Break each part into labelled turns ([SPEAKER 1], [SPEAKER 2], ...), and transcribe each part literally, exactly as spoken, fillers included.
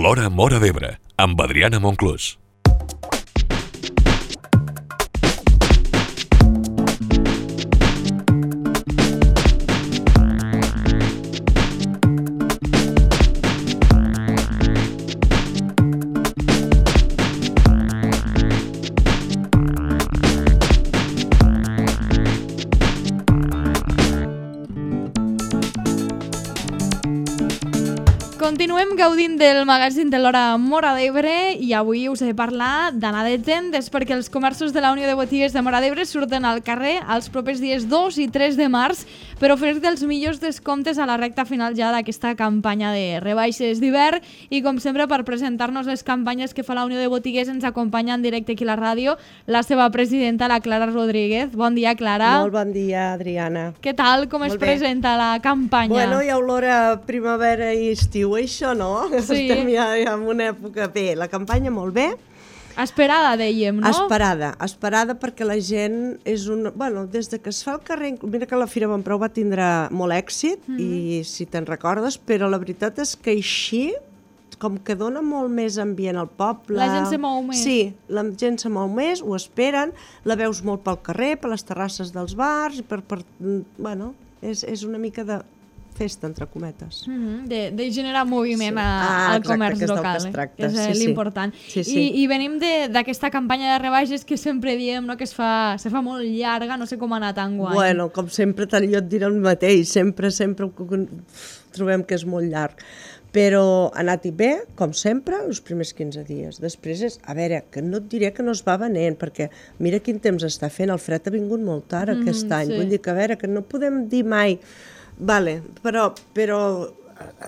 [SPEAKER 1] L'Hora Móra d'Ebre, amb Adriana Monclús.
[SPEAKER 2] Continuem gaudint del magazín de l'Hora Móra d'Ebre i avui us he de parlar d'anar de tendes perquè els comerços de la Unió de Botigues de Móra d'Ebre surten al carrer els propers dies dos i tres de març per oferir-te els millors descomptes a la recta final ja d'aquesta campanya de rebaixes d'hivern i com sempre per presentar-nos les campanyes que fa la Unió de Botigues ens acompanya en directe aquí a la ràdio la seva presidenta, la Clara Rodríguez. Bon dia, Clara.
[SPEAKER 3] Molt bon dia, Adriana.
[SPEAKER 2] Què tal? Com
[SPEAKER 3] Molt
[SPEAKER 2] es
[SPEAKER 3] bé.
[SPEAKER 2] presenta la campanya?
[SPEAKER 3] Bueno, hi ha olor a primavera i estiu, això, no?
[SPEAKER 2] Sí.
[SPEAKER 3] Estem ja en una època bé. La campanya molt bé.
[SPEAKER 2] Esperada, dèiem, no?
[SPEAKER 3] Esperada, esperada perquè la gent és un... Bueno, des de que es fa el carrer... Mira que la Fira Bonpreu va tindre molt èxit, mm. i si te'n recordes, però la veritat és que així, com que dona molt més ambient al poble...
[SPEAKER 2] La gent se mou més.
[SPEAKER 3] Sí, la gent se mou més, ho esperen, la veus molt pel carrer, per les terrasses dels bars, per... per bueno, és, és una mica de... festa, entre cometes.
[SPEAKER 2] Mm-hmm, de, de generar moviment
[SPEAKER 3] Sí.
[SPEAKER 2] a,
[SPEAKER 3] Ah,
[SPEAKER 2] al
[SPEAKER 3] exacte,
[SPEAKER 2] comerç
[SPEAKER 3] que és del
[SPEAKER 2] local,
[SPEAKER 3] que es tracta.
[SPEAKER 2] que és
[SPEAKER 3] Sí, sí.
[SPEAKER 2] l'important.
[SPEAKER 3] Sí, sí.
[SPEAKER 2] I, I venim d'aquesta campanya de rebaixes que sempre diem, no, que es fa, se fa molt llarga, no sé com ha anat enguany.
[SPEAKER 3] Bueno, com sempre, tant jo et diré el mateix, sempre, sempre trobem que és molt llarg. Però ha anat bé, com sempre, els primers quinze dies. Després és, a veure, que no et diré que no es va venent, perquè mira quin temps està fent, el fred ha vingut molt tard mm, aquest any.
[SPEAKER 2] sí.
[SPEAKER 3] Vull dir que, a veure, que no podem dir mai... Vale, però, però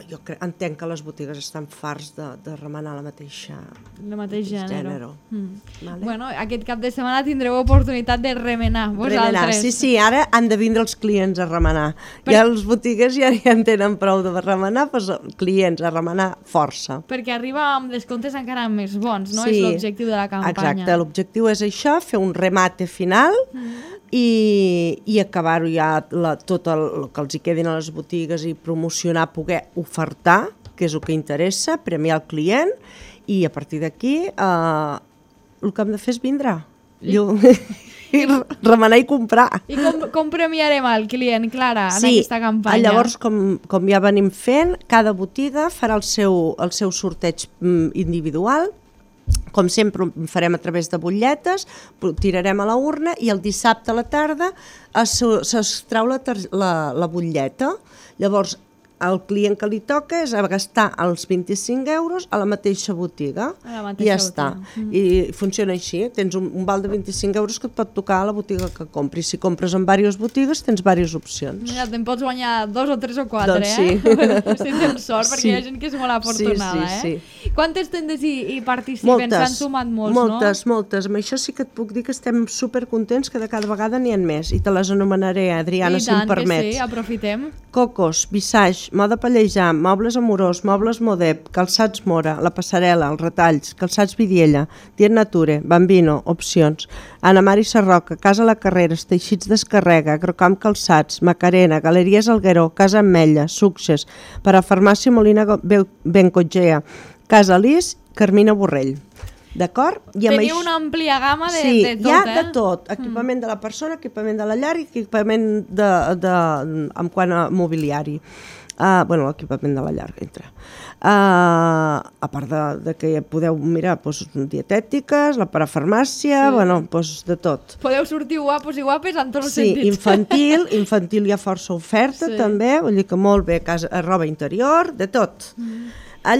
[SPEAKER 3] jo crec, entenc que les botigues estan farts de, de remenar la mateixa...
[SPEAKER 2] El mateix gènere.
[SPEAKER 3] gènere.
[SPEAKER 2] Mm.
[SPEAKER 3] Vale.
[SPEAKER 2] Bueno, aquest cap de setmana tindreu oportunitat de remenar, vosaltres.
[SPEAKER 3] Remenar, sí, sí, ara han de vindre els clients a remenar.
[SPEAKER 2] Per...
[SPEAKER 3] Ja els botigues ja, ja en tenen prou de remenar, doncs clients a remenar força.
[SPEAKER 2] Perquè arriba amb descomptes encara més bons, no?
[SPEAKER 3] Sí,
[SPEAKER 2] És l'objectiu de la campanya.
[SPEAKER 3] Exacte, l'objectiu és això, fer un remate final mm. i, i acabar-ho ja la, tot el, el que els hi quedin a les botigues i promocionar, poder ofertar, que és el que interessa, premiar el client, i a partir d'aquí eh, el que hem de fer és vindre. I, I remenar i comprar.
[SPEAKER 2] I com, com premiarem el client, Clara, en
[SPEAKER 3] sí,
[SPEAKER 2] aquesta campanya?
[SPEAKER 3] Llavors, com, com ja venim fent, cada botiga farà el seu, el seu sorteig mm, individual. Com sempre ho farem a través de butlletes, tirarem a la urna i el dissabte a la tarda s'extrau la, la, la butlleta. Llavors, el client que li toca és a gastar els vint-i-cinc euros a la mateixa botiga.
[SPEAKER 2] A la mateixa
[SPEAKER 3] i ja està.
[SPEAKER 2] botiga.
[SPEAKER 3] I funciona així. Tens un, un val de vint-i-cinc euros que et pot tocar a la botiga que compris. Si compres en diverses botigues, tens diverses opcions.
[SPEAKER 2] Mira, te'n pots guanyar dos o tres o quatre,
[SPEAKER 3] doncs
[SPEAKER 2] eh?
[SPEAKER 3] Sí.
[SPEAKER 2] Si tens sort, perquè
[SPEAKER 3] Sí.
[SPEAKER 2] hi ha gent que és molt afortunada,
[SPEAKER 3] sí, sí,
[SPEAKER 2] eh?
[SPEAKER 3] sí.
[SPEAKER 2] Quantes tendes hi, hi participen? S'han sumat molts,
[SPEAKER 3] moltes,
[SPEAKER 2] no?
[SPEAKER 3] moltes. Amb això sí que et puc dir que estem supercontents que de cada vegada n'hi ha més. I te les anomenaré, Adriana,
[SPEAKER 2] I
[SPEAKER 3] si em
[SPEAKER 2] tant
[SPEAKER 3] permets.
[SPEAKER 2] que sí, aprofitem.
[SPEAKER 3] Cocos, Visage, Moda Pallejà, Mobles Amorós, Mobles Modep, Calçats Mora, La Passarel·la, Els Retalls, Calçats Vidiella, Diet Nature, Bambino, Opcions, Ana Mari Sarroca, Casa La Carreres, Teixits d'Escarrega, Agrocamp Calçats, Macarena, Galeries Algueró, Casa Ametlla, Success, Parafarmàcia Molina Bencotgea, Casa Lis, Carmina Borrell. D'acord?
[SPEAKER 2] Teniu una àmplia gamma de,
[SPEAKER 3] sí,
[SPEAKER 2] de tot,
[SPEAKER 3] hi ha
[SPEAKER 2] eh?
[SPEAKER 3] de tot. Equipament mm. de la persona, equipament de la llar i equipament de, de, en quant a mobiliari. Uh, bueno, l'equipament de la llar entra. Uh, a part de, de que podeu mirar doncs, dietètiques, la parafarmàcia, sí. bueno, doncs, de tot.
[SPEAKER 2] Podeu sortir guapos i guapes en tots els
[SPEAKER 3] sí,
[SPEAKER 2] sentits.
[SPEAKER 3] infantil, infantil hi ha força oferta
[SPEAKER 2] sí.
[SPEAKER 3] també, vull dir que molt bé, casa, roba interior, de tot. Mm.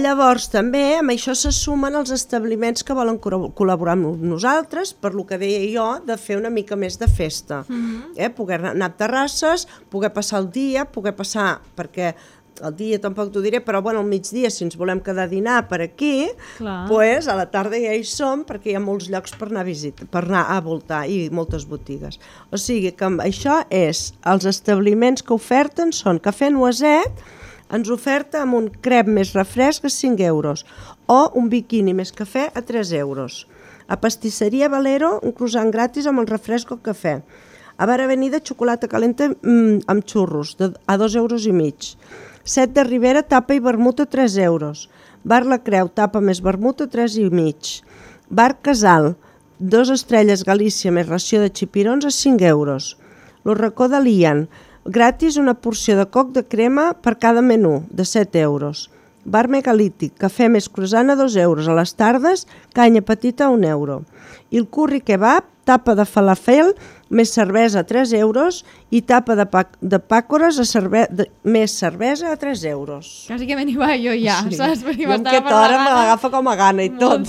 [SPEAKER 3] Llavors també amb això se sumen els establiments que volen col·laborar amb nosaltres, per lo que deia jo, de fer una mica més de festa. Mm-hmm. eh? Poder anar a terrasses, poder passar el dia, poder passar, perquè el dia tampoc t'ho diré, però bueno, al migdia, si ens volem quedar a dinar per aquí, pues, a la tarda ja hi som, perquè hi ha molts llocs per anar a visitar, per anar a voltar i moltes botigues. O sigui que això és, els establiments que oferten són Cafè Noiset, ens oferta amb un crep més refresc a cinc euros o un biquini més cafè a tres euros. A Pastisseria Valero, un croissant gratis amb el refresc o cafè. A Bar Avenida, xocolata calenta mmm, amb xurros de, a dos euros i mig. Set de Ribera, tapa i vermut a tres euros. Bar La Creu, tapa més vermut a tres i mig. Bar Casal, dos estrelles Galícia més ració de xipirons a cinc euros. Lo Racó de l'Ian, gratis una porció de coc de crema per cada menú, de set euros. Bar Megalític, cafè més croissant a dos euros. A les tardes, canya petita a un euro. I el curri kebab, tapa de falafel, més cervesa a tres euros i tapa de, pa de pàcores a cerve de més cervesa a tres euros.
[SPEAKER 2] Quasi que me n'hi va jo ja,
[SPEAKER 3] Sí.
[SPEAKER 2] saps? Perquè
[SPEAKER 3] Jo amb aquesta hora me l'agafa com a gana i tot.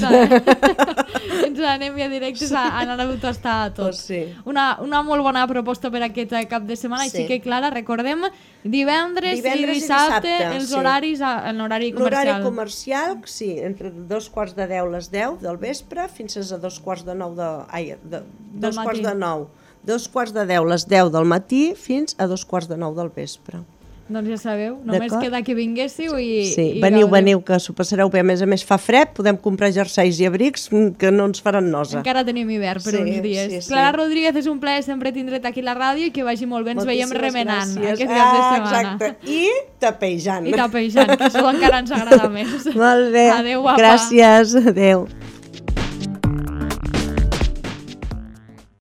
[SPEAKER 2] Ens anem ja directes a anar a tastar a tot.
[SPEAKER 3] Pues sí.
[SPEAKER 2] Una, una molt bona proposta per aquest cap de setmana.
[SPEAKER 3] Sí.
[SPEAKER 2] Així que, Clara, recordem divendres,
[SPEAKER 3] Divendres
[SPEAKER 2] i
[SPEAKER 3] i
[SPEAKER 2] dissabte,
[SPEAKER 3] dissabte,
[SPEAKER 2] els
[SPEAKER 3] sí.
[SPEAKER 2] horaris, a- en horari
[SPEAKER 3] L'horari
[SPEAKER 2] comercial.
[SPEAKER 3] comercial, sí, entre dos quarts de deu les deu del vespre fins a dos quarts de nou de... Ai, de, dos
[SPEAKER 2] matí.
[SPEAKER 3] quarts de nou. Dos quarts de deu les deu del matí fins a dos quarts de nou del vespre.
[SPEAKER 2] Doncs ja sabeu, només
[SPEAKER 3] D'acord?
[SPEAKER 2] queda que vinguéssiu i...
[SPEAKER 3] Sí,
[SPEAKER 2] i
[SPEAKER 3] veniu,
[SPEAKER 2] gaudiu.
[SPEAKER 3] veniu, que s'ho passareu bé. A més a més fa fred, podem comprar jerseis i abrics mm, que no ens faran nosa.
[SPEAKER 2] Encara tenim hivern per
[SPEAKER 3] Sí,
[SPEAKER 2] uns dies.
[SPEAKER 3] sí, sí.
[SPEAKER 2] Clara Rodríguez, és un plaer sempre tindre't aquí a la ràdio i que vagi molt bé. Ens veiem
[SPEAKER 3] Moltíssimes
[SPEAKER 2] remenant
[SPEAKER 3] gràcies.
[SPEAKER 2] aquest cap de
[SPEAKER 3] Ah,
[SPEAKER 2] setmana.
[SPEAKER 3] exacte. I tapejant.
[SPEAKER 2] I tapejant, que això encara ens agrada més.
[SPEAKER 3] Molt bé.
[SPEAKER 2] Adéu, guapa.
[SPEAKER 3] Gràcies, adéu.